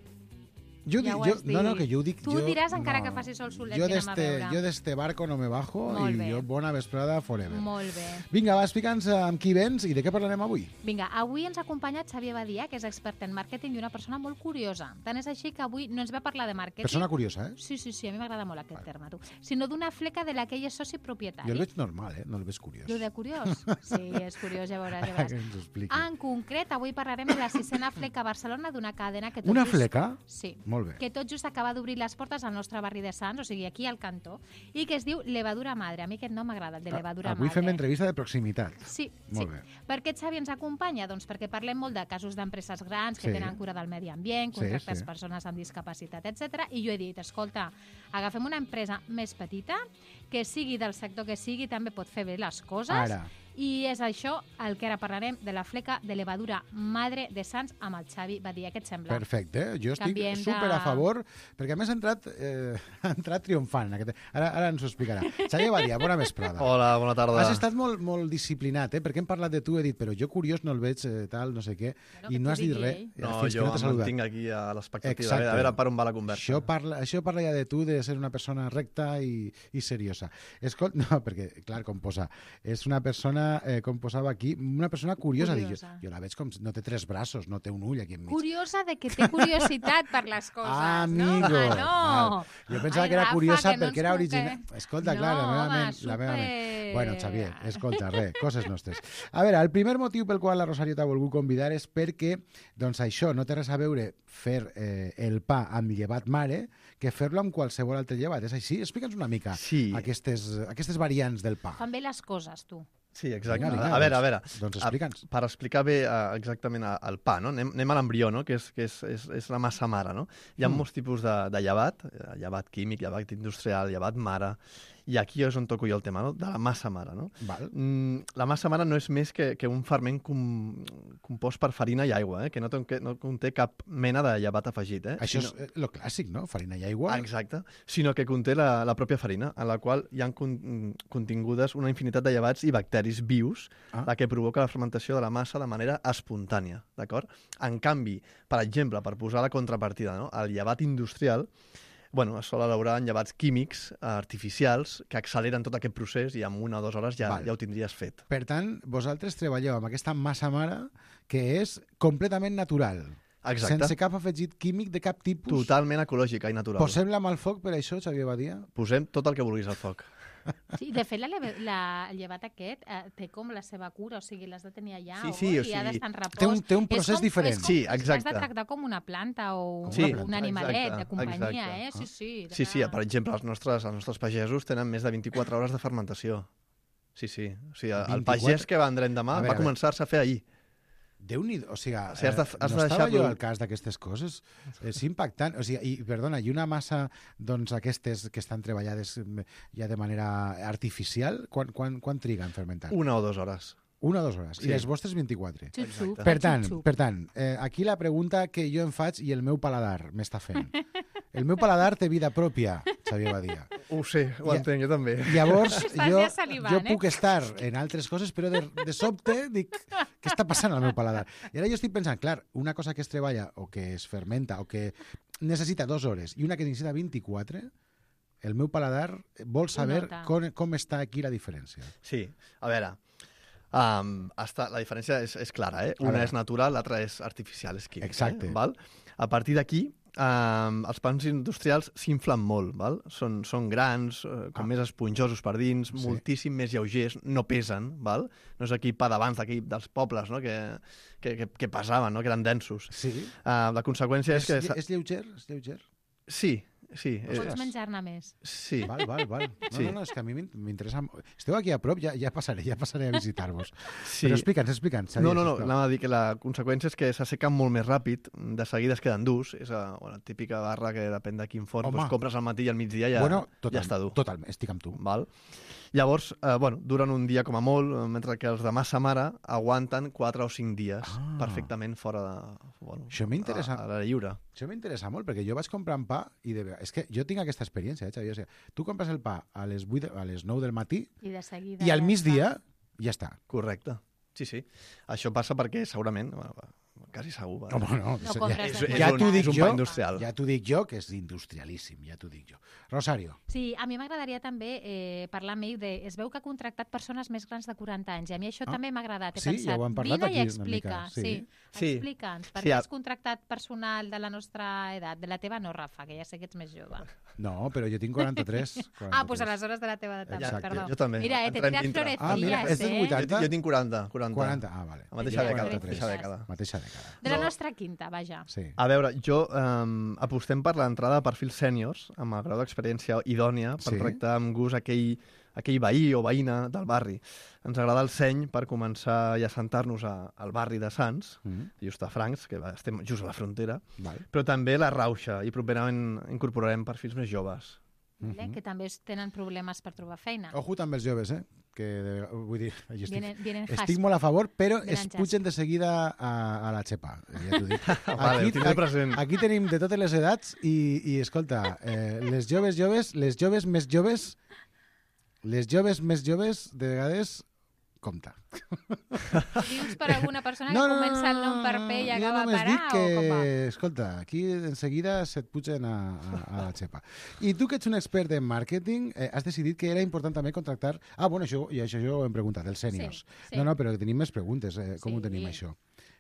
Jo ja dic, ho jo, has dit. no, no, que jo ho dic... Tu jo, diràs encara no. que faci sol solet jo que anem a d'este, veure. jo d'este barco no me bajo Molt i bé. jo bona vesprada forever. Molt bé. Vinga, va, explica'ns amb qui vens i de què parlarem avui. Vinga, avui ens acompanya Xavier Badia, que és expert en màrqueting i una persona molt curiosa. Tant és així que avui no ens ve a parlar de màrqueting. Persona curiosa, eh? Sí, sí, sí, a mi m'agrada molt aquest terme, tu. Sinó d'una fleca de la que ell és soci propietari. Jo el veig normal, eh? No el veig curiós. Lo de curiós? Sí, és curiós, ja veuràs. Ja Que veuràs. ens ho expliqui. En concret, avui parlarem de la sisena fleca a Barcelona d'una cadena que tot Una just... fleca? Sí. Molt bé. Que tot just acaba d'obrir les portes al nostre barri de Sants, o sigui, aquí al cantó, i que es diu Levadura Madre. A mi aquest nom m'agrada, el de Levadura Avui Madre. fem entrevista de proximitat. Sí, Molt sí. bé. Per què Xavi ens acompanya? Doncs perquè parlem molt de casos d'empreses grans que Sí. tenen cura del medi ambient, Sí, contractes sí. persones amb discapacitat, etcètera. I jo he dit, escolta, agafem una empresa més petita, que sigui del sector que sigui, també pot fer bé les coses. Ara. I és això el que ara parlarem de la fleca de Levadura Madre de Sants amb el Xavi Badia. Què et sembla? Perfecte, jo estic Canviem super de- a favor, perquè a més ha entrat, eh, ha entrat triomfant. Aquest... Ara, ara ens ho explicarà. Xavier Badia, bona vesprada. Hola, bona tarda. Has estat molt, molt disciplinat, eh? Perquè hem parlat de tu, he dit, però jo curiós no el veig, eh, tal, no sé què, i no has dit res. No, fins que jo no t'he em saludat. mantinc aquí a l'expectativa, a Exacte. veure- a veure per on va la conversa. Això parla, això parla ja de tu, de ser una persona recta i, i seriosa. Escolta, no, perquè, clar, com posa, és una persona, eh, com posava aquí, una persona curiosa. Curiosa. Dic, jo, jo la veig com si no té tres braços, no té un ull aquí enmig. Curiosa de que té curiositat per les coses, Amigo. no? Ah, no. Val. Jo pensava Ai, que era Rafa, curiosa que no perquè ens era puc- original. Escolta, No, clar, la meva home, ment. La meva ment. super. Bueno, Xavier, escolta, res, coses nostres. A veure, el primer motiu pel qual la Rosario t'ha volgut convidar és perquè, doncs això, no té res a veure fer eh, el pa amb llevat mare que fer-lo amb qualsevol altre llevat. És així? Explica'ns una mica Sí. aquestes, aquestes variants del pa. Fan bé les coses, tu. Sí, exacte. Vinga, vinga, a veure, a doncs- veure. doncs explica'ns. A- Per explicar bé uh, exactament a- el pa, no? Anem, anem a l'embrió, no? Que, és, que és, és, és la massa mare, no? Hi ha Mm. molts tipus de, de llevat, eh, llevat químic, llevat industrial, llevat mare, i aquí és on toco jo el tema, no? De la massa mare, no? Val. Mm, la massa mare no és més que, que un ferment com, compost per farina i aigua, eh? Que no, té, que no conté cap mena de llevat afegit, eh? Això Sinó- és el clàssic, no? Farina i aigua. Exacte, sinó que conté la, la pròpia farina, en la qual hi ha con, contingudes una infinitat de llevats i bacteris vius, Ah. la que provoca la fermentació de la massa de manera espontània, d'acord? En canvi, per exemple, per posar la contrapartida, no? El llevat industrial, bueno, es sol elaborar en llevats químics eh, artificials que acceleren tot aquest procés i en una o dues hores ja, Val. ja ho tindries fet. Per tant, vosaltres treballeu amb aquesta massa mare que és completament natural. Exacte. Sense cap afegit químic de cap tipus. Totalment ecològica i natural. Posem-la amb el foc per això, Xavier Badia? Posem tot el que vulguis al foc. Sí, de fet, la, leve- la, el llevat aquest eh, té com la seva cura, o sigui, l'has de tenir allà Sí, o, sí, o i ha sigui, d'estar en repòs. té un- té un És procés com- diferent. és com- Sí, L'has exacte. de tractar com una planta o Com una un planta. animalet Exacte, de companyia, exacte. eh? Sí, sí. Sí, sí, per exemple, els nostres, els nostres pagesos tenen més de vint-i-quatre hores de fermentació. Sí, sí. O sigui, el vint-i-quatre? pagès que vendrem demà A veure, va a veure. començar-se a fer ahir. Déu-n'hi-do, o sigui, O sigui, has de- eh, has no de estava deixar-lo- jo al cas d'aquestes coses. És impactant. O sigui, i, perdona, i una massa, doncs, aquestes que estan treballades mm, ja de manera artificial, quan, quan, quan triga en fermentar? Una o dues hores. Una o dues hores. Sí. I les vostres vint-i-quatre. Xup-xup, Per tant, xup-xup. per tant eh, aquí la pregunta que jo em faig i el meu paladar m'està fent. El meu paladar té vida pròpia, Xavier Badia. Ho sé, ho Ja- entenc, jo també. Llavors, Estàs jo, ja salivant, jo eh? puc estar en altres coses, però de, de sobte dic, què està passant al meu paladar? I ara jo estic pensant, clar, una cosa que es treballa o que es fermenta o que necessita dues hores i una que necessita vint-i-quatre, el meu paladar vol saber nota. com, com està aquí la diferència. Sí, a veure, um, està, la diferència és, és clara, eh? A Una veure. és natural, l'altra és artificial, és químic. Exacte. Eh? Val? A partir d'aquí, um, els pans industrials s'inflen molt, val? Són, són grans, uh, com Ah. més esponjosos per dins, Sí. moltíssim més lleugers, no pesen, val? No és aquí pa d'abans, d'aquí dels pobles, no? que, que, que, que pesaven, no? Que eren densos. Sí. Uh, la conseqüència és, És, que... és lleuger? És lleuger? Sí, sí. Pots és- menjar-ne més. Sí. Val, val, val. No, Sí. no, no, és que a mi m'in- m'interessa... Esteu aquí a prop, ja, ja passaré, ja passaré a visitar-vos. Sí. Però explica'ns, explica'ns. No, no, no, sisplau. anava a dir que la conseqüència és que s'assequen molt més ràpid, de seguida es queden durs, és la bueno, típica barra que depèn de quin forn, Home. doncs compres al matí i al migdia ja, Bueno, total, ja està dur. Totalment, estic amb tu. Val? Llavors, eh, bueno, duren un dia com a molt, eh, mentre que els de massa mare aguanten quatre o cinc dies Ah. perfectament fora de... Bueno, Això m'interessa. A, a l'aire lliure. Això m'interessa molt, perquè jo vaig comprar pa i de... és que jo tinc aquesta experiència, eh, Xavier? O sigui, tu compres el pa a les, vuit, a les nou del matí I de seguida... i al ja migdia ja està. Correcte. Sí, sí. Això passa perquè segurament, bueno, quasi segur. Va. Home, no, No és- compres ja, de ja un- t'ho dic és un jo, pa industrial. ja t'ho dic jo, que és industrialíssim, ja t'ho dic jo. Rosario. Sí, a mi m'agradaria també eh, parlar amb ell de... Es veu que ha contractat persones més grans de quaranta anys i a mi això Ah. també m'ha agradat. He Sí, pensat, ja ho hem parlat vine aquí i una explica. mica, sí. Sí, Sí. explica'ns. Per Sí, què a- has contractat personal de la nostra edat? De la teva no, Rafa, que ja sé que ets més jove. No, però jo tinc quaranta-tres. Ah, doncs aleshores de la teva edat també, Exacte. perdó. Jo també. Mira, eh, t'he Entrem tirat dintre. florecillas, Ah, mira, és dels eh? vuitanta. Jo, jo tinc quaranta. quaranta. quaranta, ah, vale. La mateixa Jo dècada. quaranta-tres. Mateixa dècada. Mateixa dècada. De la No. nostra quinta, vaja. Sí. A veure, jo eh, apostem per l'entrada de perfils sèniors amb el grau d'experiència idònia per Sí. tractar amb gust aquell, aquell veí o veïna del barri. Ens agrada el seny per començar i assentar-nos a, al barri de Sants, Mm, just a Francs, que va- estem just a la frontera, val. però també la Rauxa, i properament incorporarem perfils més joves. Vale? Que també tenen problemes per trobar feina. Ojo també els joves, eh? Que de, vull dir, jo estic, Vienen, vienen estic has- molt a favor, però Venen es jas. pugen de seguida a, a la xepa. Ja t'ho dic. Vale, ho tindré present. aquí tenim de totes les edats i, i escolta, eh, les joves joves, les joves més joves, les joves més joves, de vegades, compte. Dius per alguna persona que comença el nom per P i jo acaba només per A, dic que, o com va? escolta, aquí en seguida se't pugen a, a, a la xepa. I tu que ets un expert en màrqueting, eh, has decidit que era important també contractar... Ah, bueno, això, i això jo ho hem preguntat, els sèniors. Sí, sí. No, no, però tenim més preguntes. Eh, com Sí. ho tenim, això?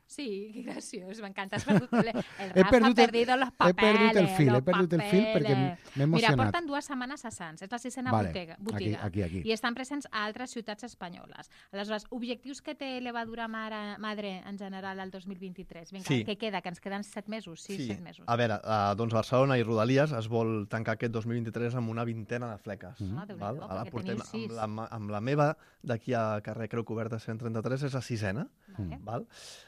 Sí, qué graciós, m'encanta. Has perdut el, el He Rafa perdut ha el- perdido los he papeles. perdut el fil, he los perdut el fil perquè papeles. m'he emocionat. Mira, porten dues setmanes a Sants, és la sisena Vale, botiga, aquí- botiga aquí, aquí. i estan presents a altres ciutats espanyoles. Aleshores, objectius que té Levadura Mare, Madre en general al dos mil vint-i-tres? Vinga, Sí. què queda? Que ens queden set mesos? Sí, set mesos. A veure, uh, doncs Barcelona i Rodalies es vol tancar aquest dos mil vint-i-tres amb una vintena de fleques. Mm-hmm. Ah, Déu-n'hi-do, val? Ara perquè portem teniu sis. amb la, amb la meva d'aquí a carrer Creu Coberta cent trenta-tres, és la sisena. Vale. Val?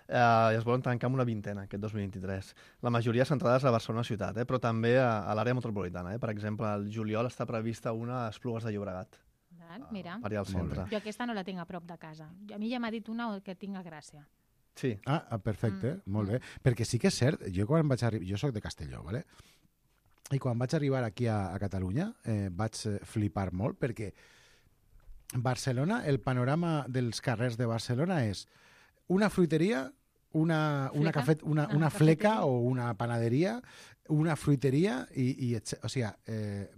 Uh, I es volen tancar amb una vintena aquest dos mil vint-i-tres. La majoria centrades a Barcelona ciutat, eh? però també a, a l'àrea metropolitana. Eh? Per exemple, al juliol està prevista una a Esplugues de Llobregat, Val, Mira, per allà al centre. jo aquesta no la tinc a prop de casa. A mi ja m'ha dit una que tinc a Gràcia. Sí. Ah, ah, perfecte, Mm, molt bé. Perquè sí que és cert, jo quan vaig arribar... Jo sóc de Castelló, ¿vale? I quan vaig arribar aquí a, a Catalunya eh, vaig eh, flipar molt perquè Barcelona, el panorama dels carrers de Barcelona és una fruiteria, una, una, Fleca? cafet, una, Ah, una fleca cafeteria. o una panaderia, una fruiteria i, i etcètera. O sigui, eh,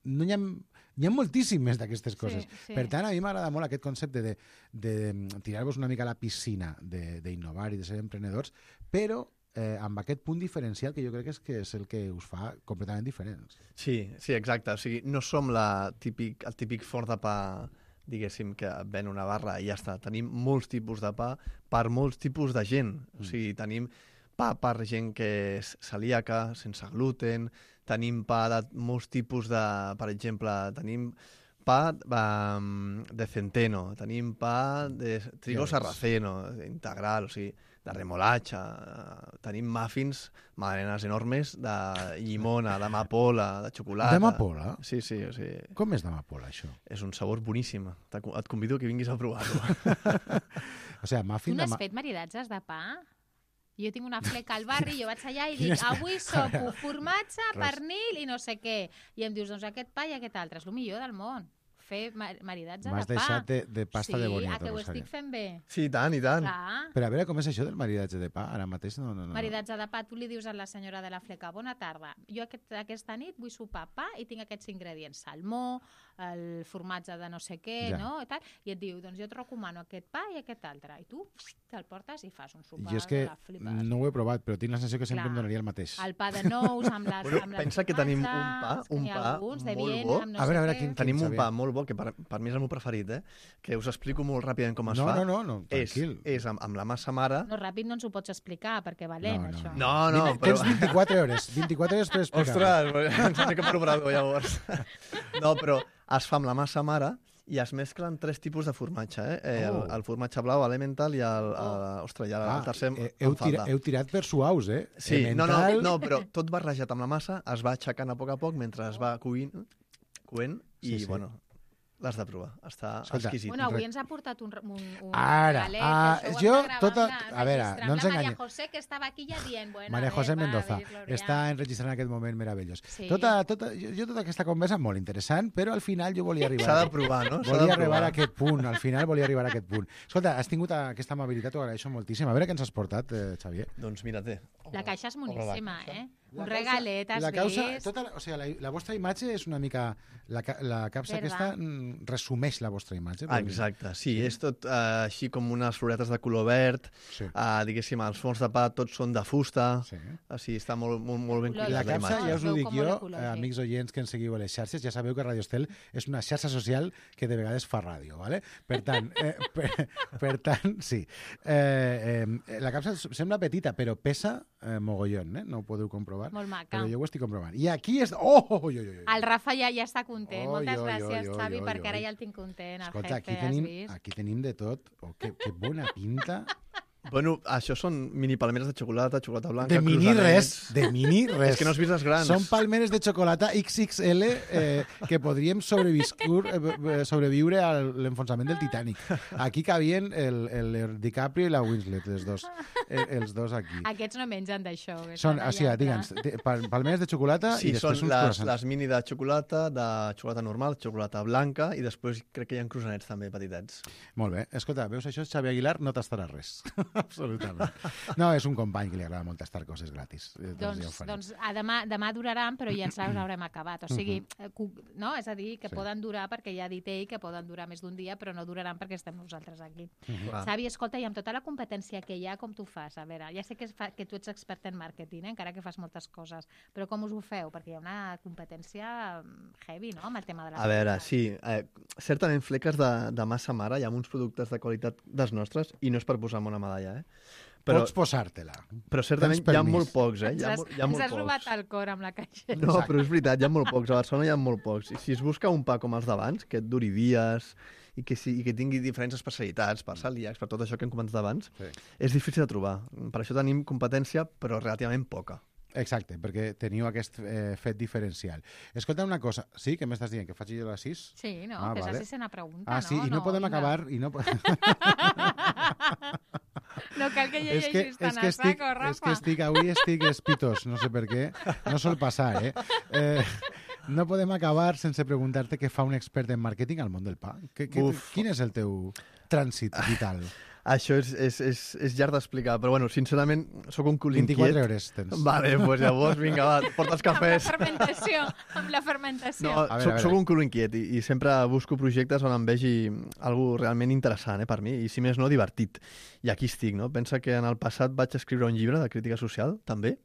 no hi ha, hi ha moltíssimes d'aquestes coses. Sí, sí. Per tant, a mi m'agrada molt aquest concepte de, de, de tirar-vos una mica a la piscina, d'innovar i de ser emprenedors, però eh, amb aquest punt diferencial que jo crec que és, que és el que us fa completament diferents. Sí, sí, exacte. O sigui, no som la típic, el típic forn de pa, diguéssim, que ven una barra i ja està. Tenim molts tipus de pa per molts tipus de gent. O sigui, tenim pa per gent que és celíaca, sense gluten, tenim pa de molts tipus de... Per exemple, tenim pa um, de centeno, tenim pa de trigo Ja ves. sarraceno, integral, o sigui, de remolatxa, eh, tenim muffins, magdalenes enormes de llimona, d'amapola, de xocolata. D'amapola? Sí, sí, o sigui, Com és d'amapola, això? és un sabor boníssim. Te- Et convido que vinguis a provar-lo. O sigui, Tu muffin no de... has Ma... fet maridatges de pa? Jo tinc una fleca al barri, jo vaig allà i Quina dic, és- avui sopo formatge, Res. pernil i no sé què. I em dius, doncs aquest pa i aquest altre, és el millor del món. Fer ma- maridatge de pa. M'has deixat de, de pasta sí, de boniato, ah, que ho Rosario. estic fent bé. Sí, i tant, i tant. Clar. Però a veure, com és això del maridatge de pa? Ara mateix no... no, no. Maridatge de pa, tu li dius a la senyora de la fleca, bona tarda, jo aquest, aquesta nit vull sopar pa i tinc aquests ingredients, salmó, el formatge de no sé què, Ja. no? I, tal, i et diu, doncs jo et recomano aquest pa i aquest altre. I tu te'l portes i fas un sopar Jo és que de la flipes. no ho he provat, però tinc la sensació que sempre Clar. em donaria el mateix. El pa de nous amb les, Bueno, amb les pensa que tenim un formatges, pa, que un n'hi ha pa alguns de molt Viena, bo. amb no A veure, a sé veure, què. quin- Tenim un Xavier. pa molt bo, que per, per mi és el meu preferit, eh? que us explico molt ràpidament com es No, fa. no, no, no, és, tranquil. és amb, amb la massa mare... No, ràpid no ens ho pots explicar, perquè valent, No, no, això. No, no, Vine, però... Tens vint-i-quatre hores, vint-i-quatre hores per explicar. Ostres, ens anem per obrador, llavors. No, però es fa amb la massa mare i es mesclen tres tipus de formatge, eh? eh el, Oh. el formatge blau, l'Elemental, i el, el, ostres, i el, Ah, el tercer eh, em heu, tira, falta. heu tirat per suaus, eh? Sí, no, no, Elemental. no, però tot barrejat amb la massa es va aixecant a poc a poc mentre es va cuint, cuent i, Sí, sí. bueno, l'has de provar. Està Escolta, exquisit. Bueno, avui ens ha portat un, un, un Ara, regalet, ah, que això ho jo hem de gravar tota- amb la- a veure, registrar no amb ens la Maria enganyem. José, que estava aquí ja dient... Bueno, Maria a José veure, Mendoza va, Glòria. està enregistrant aquest moment meravellós. Sí. Tota, tota, jo, jo tota aquesta conversa molt interessant, però al final jo volia arribar... S'ha de provar, no? S'ha Volia de arribar provar. a aquest punt, al final volia arribar a aquest punt. Escolta, has tingut aquesta amabilitat, t'ho agraeixo moltíssim. A veure què ens has portat, eh, Xavier. Doncs mira, té. La caixa és moníssima, eh? La Un causa- regalet, has la causa, vist? tota la, o sigui, la, la vostra imatge és una mica... La, ca- la capsa Verda. aquesta mm, resumeix la vostra imatge. Ah, vol dir. exacte, sí, és tot uh, així com unes floretes de color verd, Sí. uh, diguéssim, els fons de pa tots són de fusta, Sí. així està molt, molt, molt ben La La cuidat la capsa, imatge. ja us ho Veu dic com jo, molt eh, ecològic. amics oients que ens seguiu a les xarxes, ja sabeu que Radio Estel és una xarxa social que de vegades fa ràdio, ¿vale? Per tant, eh, per, per tant sí. Eh, eh, la capsa sembla petita, però pesa eh, mogollón, eh? No ho podeu comprovar. Molt maca. Però jo ho estic comprovant. I aquí és... Oh, oh, oh, oh, oh. El Rafa ja, ja està content. Oi, Moltes oi, gràcies, oi, oi, Xavi, oi, perquè ara oi. ja el tinc content. El Escolta, jefe, aquí has tenim, vist? aquí tenim de tot. Oh, que, que bona pinta. Bueno, això són mini palmeres de xocolata, xocolata blanca, De mini cruzanets. res, de mini res. És que no has vist les grans. Són palmeres de xocolata X X L eh, que podríem sobreviscur, eh, sobreviure a l'enfonsament del Titanic. Aquí cabien el, el DiCaprio i la Winslet, els dos, eh, els dos aquí. Aquests no mengen d'això. que Són, estan o sigui, allà digue'ns, entre- de- pal- palmeres de xocolata Sí, i són després uns les, croissants. les mini de xocolata, de xocolata normal, xocolata blanca, i després crec que hi ha cruzanets també petitets. Molt bé. Escolta, veus això? Xavi Aguilar no tastarà res. Absolutament. No, és un company que li agrada molt tastar coses gratis. Eh, Doncs, ja ho farem. doncs a demà, demà duraran, però ja ens les haurem acabat. O sigui, eh, cu- no? És a dir, que Sí. poden durar, perquè ja ha dit ell que poden durar més d'un dia, però no duraran perquè estem nosaltres aquí. Clar. Xavi, escolta, i amb tota la competència que hi ha, com tu fas? A veure, ja sé que, es fa, que tu ets expert en màrqueting, eh? encara que fas moltes coses, però com us ho feu? Perquè hi ha una competència mm, heavy, no?, amb el tema de les A veure, coses. sí, eh, certament fleques de, de massa mare, hi ha uns productes de qualitat dels nostres, i no és per posar-me una medalla, eh? Però, Pots posar-te-la. però certament Tens hi ha permís. molt pocs, eh? Ens Hi ha, has, mo- hi ha ens molt has robat pocs. el cor amb la caixa. No, però és veritat, hi ha molt pocs. A Barcelona hi ha molt pocs. I si es busca un pa com els d'abans, que et duri dies i que, sí, i que tingui diferents especialitats per celíacs, per tot això que hem comentat abans, Sí. és difícil de trobar. Per això tenim competència, però relativament poca. Exacte, perquè teniu aquest eh, fet diferencial. Escolta una cosa, sí, què m'estàs dient? Que faig jo les sis? Sí, no, Ah, que és vale. la sisena pregunta, Ah, sí, no? i no, podem vinga. acabar... I no... po- No cal que és que, llegeixis tan és que a estic, saco, Rafa. és que estic, avui estic espitós, no sé per què, no sol passar, eh? eh no podem acabar sense preguntar-te què fa un expert en màrqueting al món del pa. Que, que, Uf. quin és el teu trànsit vital? Això és, és, és, és llarg d'explicar, però bueno, sincerament, sóc un cul inquiet. vint-i-quatre hores tens. Vale, doncs pues llavors, vinga, va, porta els Amb la cafès. fermentació, amb la fermentació. No, A veure, soc, a veure. soc un culo inquiet i, i sempre busco projectes on em vegi algo realment interessant eh, per mi, i si més no, divertit. I aquí estic, no? Pensa que en el passat vaig escriure un llibre de crítica social, també.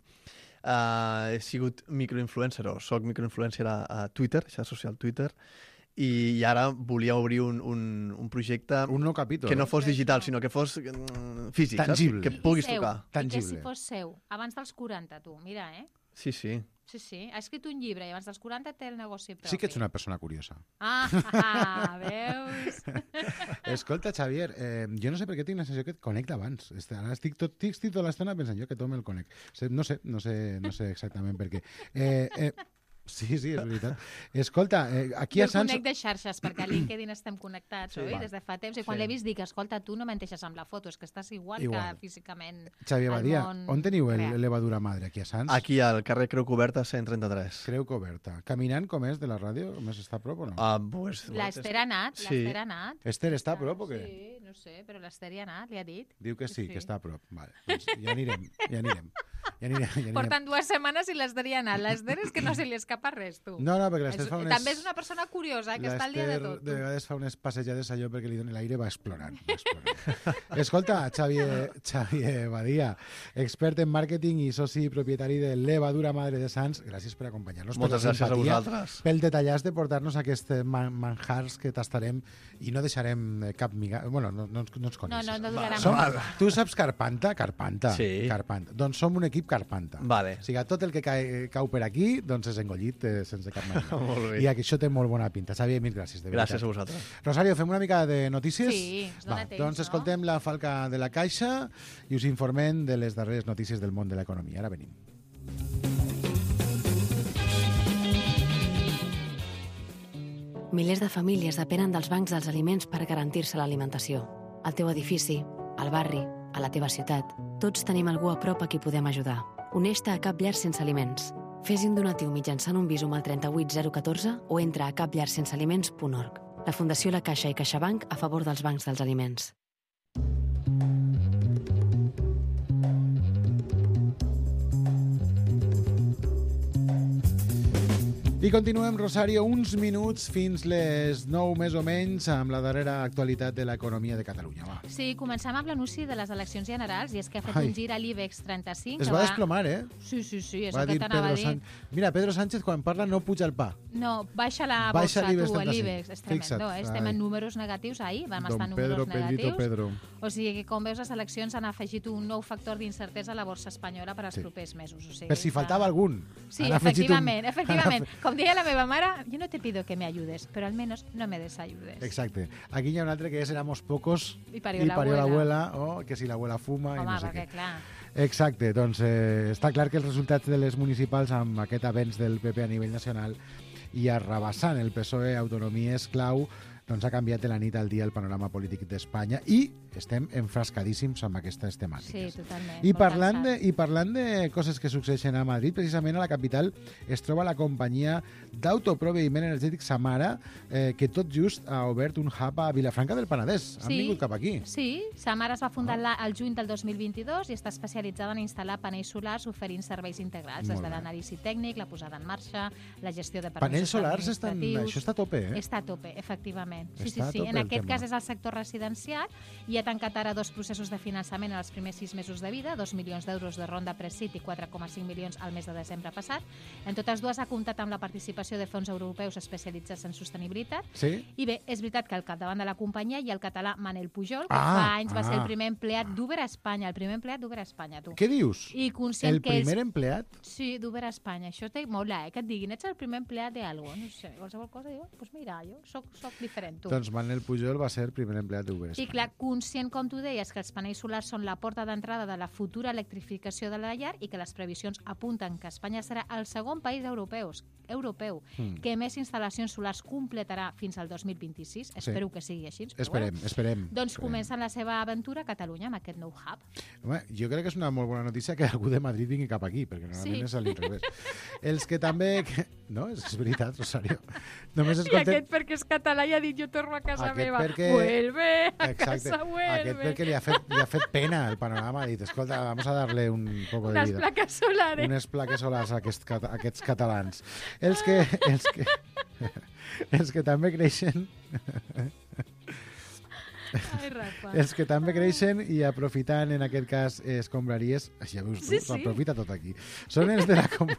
Uh, he sigut microinfluencer, o soc microinfluencer a, a Twitter, xarxa social Twitter, i, i ara volia obrir un, un, un projecte Un nou capítol. que no fos digital, sinó que fos mm, físic, Tangible. saps? Que puguis seu, tocar. I que Tangible. si fos seu, abans dels quaranta, tu, mira, eh? Sí, sí. Sí, sí, ha escrit un llibre i abans dels quaranta té el negoci propi. Sí que ets una persona curiosa. Ah, ah, veus? Escolta, Xavier, eh, jo no sé per què tinc la sensació que et connecta abans. Est- Ara estic, tot, estic tota l'estona pensant jo que tot me'l conec. Se- No sé, no sé, no sé exactament per què. Eh, eh, sí, sí, és veritat. Escolta, eh, aquí Jo a el Sants... conec de xarxes, perquè a LinkedIn estem connectats, Sí, oi? val. Des de fa temps. I quan Sí. l'he vist dic, escolta, tu no menteixes amb la foto, és que estàs igual, Igual. que físicament Xavier al Badia, món on teniu el- real. l'Evadura Madre? Aquí a Sants? Aquí al carrer Creu Coberta cent trenta-tres. Creu Coberta. Caminant com és de la ràdio? Més està a prop o no? Ah, pues, L'Ester ha anat, Sí. l'Ester ha anat. Esther està a prop o què? Sí, no sé, però l'Ester hi ha anat, li ha dit. Diu que sí, Sí. que està a prop. Vale, doncs ja anirem, ja anirem. Ja anirem, ja anirem. Porten dues setmanes i l'Ester hi ha anat. L'Ester és que no se li escapa que per res, tu. No, no, perquè l'Ester És- fa unes... També és una persona curiosa, eh, que està al dia de L'Ester tot. de vegades fa unes passejades allò perquè li doni l'aire, va explorant. Va explorant. Escolta, Xavier, Xavier Badia, expert en màrqueting i soci propietari de Levadura Madre de Sants, gràcies per acompanyar-nos. Moltes per la gràcies a simpatia, vosaltres. Pel detallàs de portar-nos aquests man manjars que tastarem i no deixarem cap miga... Bueno, no, no, ens- no ens No, coneixes. no, no durarà Som, molt. tu saps Carpanta? Carpanta. Sí. Carpanta. Doncs som un equip Carpanta. Vale. O sigui, tot el que cau, cau per aquí doncs és engollit eh, sense cap manera. Molt bé. I aquí això té molt bona pinta. Xavier, mil gràcies, de veritat. Gràcies a vosaltres. Rosario, fem una mica de notícies? Sí, ens dona Va, temps, doncs no? escoltem la falca de la Caixa i us informem de les darreres notícies del món de l'economia. Ara venim. Milers de famílies depenen dels bancs dels aliments per garantir-se l'alimentació. Al teu edifici, al barri, a la teva ciutat, tots tenim algú a prop a qui podem ajudar. Uneix-te a Cap Llar Sense Aliments. Fes un donatiu mitjançant un Bizum al trenta-vuit zero catorze o entra a cap llar sense aliments punt org. La Fundació La Caixa i CaixaBank a favor dels bancs dels aliments. I continuem, Rosario, uns minuts fins les nou més o menys amb la darrera actualitat de l'economia de Catalunya. Va. Sí, comencem amb l'anunci de les eleccions generals i és que ha fet Ai. un gir a l'IBEX trenta-cinc. Es que va desplomar, eh? Sí, sí, sí, és Va el que dir t'anava a Pedro dir. Sánchez. Mira, Pedro Sánchez quan parla no puja el pa. No, baixa la Baixa bolsa, l'IBEX tu, trenta-cinc. l'IBEX. És tremendo, Fixa't, eh? Estem ai. en números negatius ahir, vam Don estar en Pedro, números Pedrito, negatius. Pedro. O sigui que, com veus, les eleccions han afegit un nou factor d'incertesa a la borsa espanyola per als Sí. propers mesos. O sigui, Per si que- faltava algun. Sí, Han afegit un- efectivament, efectivament. Com deia la meva mare, yo no te pido que me ayudes, pero al menos no me desayudes. Exacte. Aquí hi ha un altre que és éramos pocos I parió la abuela. l'abuela, o que si l'abuela fuma i Home, no sé perquè, què. clar, Exacte, doncs eh, està clar que els resultats de les municipals amb aquest avenç del P P a nivell nacional i arrabassant el P S O E autonomies clau, doncs ha canviat de la nit al dia el panorama polític d'Espanya i estem enfrascadíssims amb aquestes temàtiques. sí, totalment. I molt parlant, cansat. de, I parlant de coses que succeeixen a Madrid, precisament a la capital es troba la companyia d'autoproveïment energètic Samara, eh, que tot just ha obert un hub a Vilafranca del Penedès. Han Sí. vingut cap aquí. Sí, Samara es va fundar la, al juny del dos mil vint-i-dos i està especialitzada en instal·lar panells solars oferint serveis integrals, des Molt de bé. l'anàlisi tècnic, la posada en marxa, la gestió de permisos Panells solars estan... administratius. Això està a tope, eh? Està a tope, efectivament. Sí, Està a sí, sí. tope En el aquest tema. cas és el sector residencial i ha tancat ara dos processos de finançament en els primers sis mesos de vida, dos milions d'euros de ronda Presit i quatre coma cinc milions al mes de desembre passat. En totes dues ha comptat amb la participació de fons europeus especialitzats en sostenibilitat. Sí? I bé, és veritat que al capdavant de la companyia hi ha el català Manel Pujol, que Ah, fa anys va ser ah. el primer empleat d'Uber a Espanya, el primer empleat d'Uber a Espanya, tu. Què dius? I conscient El que primer ells... empleat? Sí, d'Uber a Espanya. Això té mola, eh? Que et diguin, ets el primer empleat d'algo. No sé, qualsevol cosa. Jo, doncs pues mira, jo soc, soc diferent, tu. Doncs Manel Pujol va ser el primer empleat d'Uber. I clar, conscient, com tu deies, que els panells solars són la porta d'entrada de la futura electrificació de la llar i que les previsions apunten que Espanya serà el segon país europeus, europeu Mm. que més instal·lacions solars completarà fins al dos mil vint-i-sis. Espero que sigui així. Però Esperem, bueno. esperem. Doncs esperem. comencen la seva aventura a Catalunya amb aquest nou hub. Home, jo crec que és una molt bona notícia que algú de Madrid vingui cap aquí, perquè normalment Sí. és a l'inrevés. Els que també... Que... No, és, és veritat, Rosario. Només I escoltem... aquest perquè és català i ha dit jo torno a casa Aquest meva. perquè- Vuelve a Exacte. casa, vuelve. Aquest perquè li ha, fet, li ha fet pena el panorama. Ha dit, escolta, vamos a darle un poco de Unes vida. plaques solares. Unes plaques solars a aquests, cata- a aquests catalans. Els que, els que, els que també creixen... Ai, Rafa. Els que també creixen i aprofitant, en aquest cas, escombraries... Ja veus tu, Sí, sí. s'aprofita tot aquí. Són els de la... Com...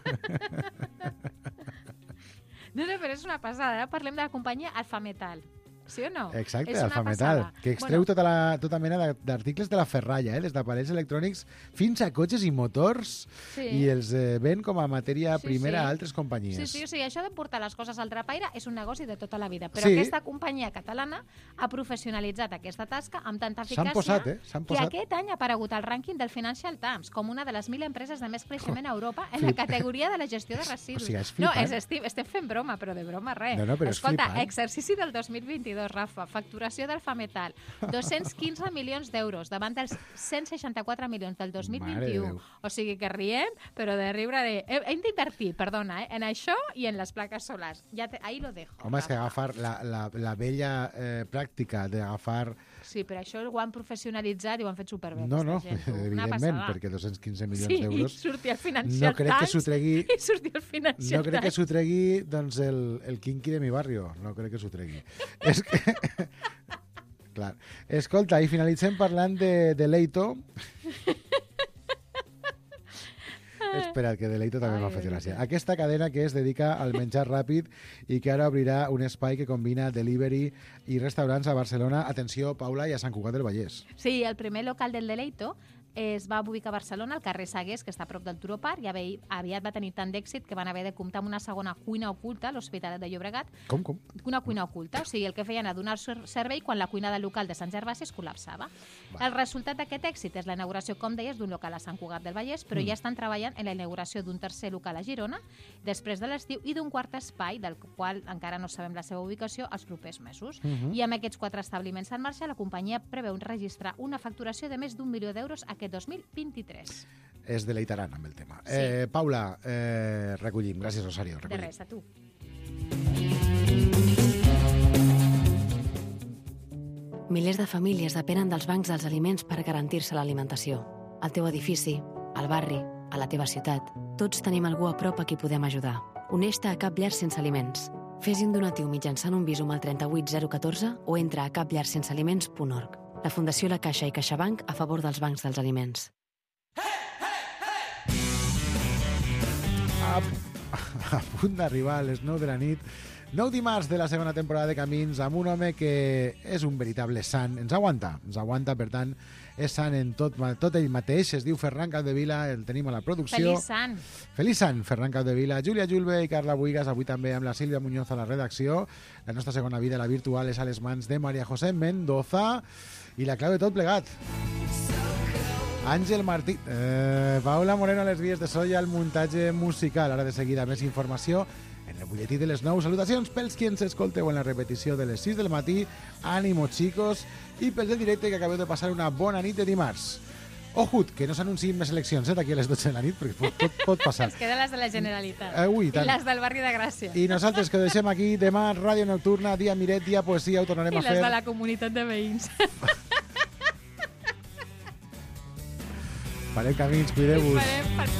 No, no, però és una passada. Ara parlem de la companyia Alfa Metal. Sí o no? Exacte, És una Alfa Metal, passada. que extreu Bueno, tota, la, tota mena de- d'articles de la ferralla, eh? Les d'aparells electrònics, fins a cotxes i motors, Sí. i els eh, ven com a matèria Sí, primera sí. a altres companyies. Sí, sí, o sigui, això de portar les coses al drapaire és un negoci de tota la vida, però Sí. aquesta companyia catalana ha professionalitzat aquesta tasca amb tanta S'han eficàcia posat, eh? S'han que posat. aquest any ha aparegut al rànquing del Financial Times com una de les mil empreses de més creixement a Europa en la Flip. categoria de la gestió de residus. O sigui, és no, flipant. és, estem, estem fent broma, però de broma res. No, no, però és Escolta, flipant. exercici del dos mil vint-i-dos seguidors, Rafa. Facturació del Fametal, dos-cents quinze milions d'euros davant dels cent seixanta-quatre milions del dos mil vint-i-u. O sigui que riem, però de riure de... Hem d'invertir, perdona, eh, en això i en les plaques solars. Ja te... Ahí lo dejo. Home, és que agafar la, la, la vella eh, pràctica d'agafar... Sí, però això ho han professionalitzat i ho han fet superbé. No, no, gent, evidentment, perquè dos-cents quinze milions sí, d'euros... Sí, i sortir al Financial no crec Times. Que s'ho tregui, I sortir al Financial No crec que Times. s'ho tregui doncs, el, el Kinky de mi barrio. No crec que s'ho tregui. És que... Clar. Escolta, i finalitzem parlant de, de Leito. Espera, que Deleito també m'ha fet gràcia. Aquesta cadena que es dedica al menjar ràpid i que ara obrirà un espai que combina delivery i restaurants a Barcelona. Atenció, Paula, i a Sant Cugat del Vallès. Sí, el primer local del Deleito es va ubicar a Barcelona, al carrer Sagués, que està a prop del Turó Park, i aviat va tenir tant d'èxit que van haver de comptar amb una segona cuina oculta a l'Hospitalet de Llobregat. Com, com? Una cuina oculta, o sigui, el que feien a donar servei quan la cuina del local de Sant Gervasi es col·lapsava. Va. El resultat d'aquest èxit és la inauguració, com deies, d'un local a Sant Cugat del Vallès, però mm. ja estan treballant en la inauguració d'un tercer local a Girona, després de l'estiu, i d'un quart espai, del qual encara no sabem la seva ubicació, els propers mesos. Mm-hmm. I amb aquests quatre establiments en marxa, la companyia preveu registrar una facturació de més d'un milió d'euros aquest dos mil vint-i-tres. Es deleitaran amb el tema. Sí. Eh, Paula, eh, recollim. Gràcies, Rosario. Recollim. De res, a tu. Milers de famílies depenen dels bancs dels aliments per garantir-se l'alimentació. Al teu edifici, al barri, a la teva ciutat, tots tenim algú a prop a qui podem ajudar. Uneix-te a Cap Llar Sense Aliments. Fes un donatiu mitjançant un Bizum al trenta-vuit zero catorze o entra a cap llar sense aliments punt org. La Fundació La Caixa i CaixaBank a favor dels bancs dels aliments. A, a punt d'arribar a les nou de la nit, nou dimarts de la segona temporada de Camins, amb un home que és un veritable sant. Ens aguanta, ens aguanta, per tant, és sant en tot, tot ell mateix. Es diu Ferran Capdevila, el tenim a la producció. Feliç sant. Feliç sant, Ferran Capdevila. Júlia Julve i Carla Buigas, avui també amb la Sílvia Muñoz a la redacció. La nostra segona vida, la virtual, és a les mans de María José Mendoza. I la clau de tot plegat. Àngel Martí... Eh, Paula Moreno a les vies de so i al muntatge musical. Ara de seguida més informació en el butlletí de les nou. Salutacions pels qui ens escolteu en la repetició de les sis del matí. Ànimo, xicos. I pels de directe que acabeu de passar una bona nit de dimarts. Ojut, que no s'anunciïn més eleccions eh, d'aquí a les dotze de la nit, perquè pot, pot, pot passar. Es queden les de la Generalitat. Eh, ui, I les del barri de Gràcia. I nosaltres que ho deixem aquí demà, Ràdio Nocturna, dia Miret, dia Poesia, ho tornarem I a fer. I les de la comunitat de veïns. Farem camins, cuideu-vos. Farem...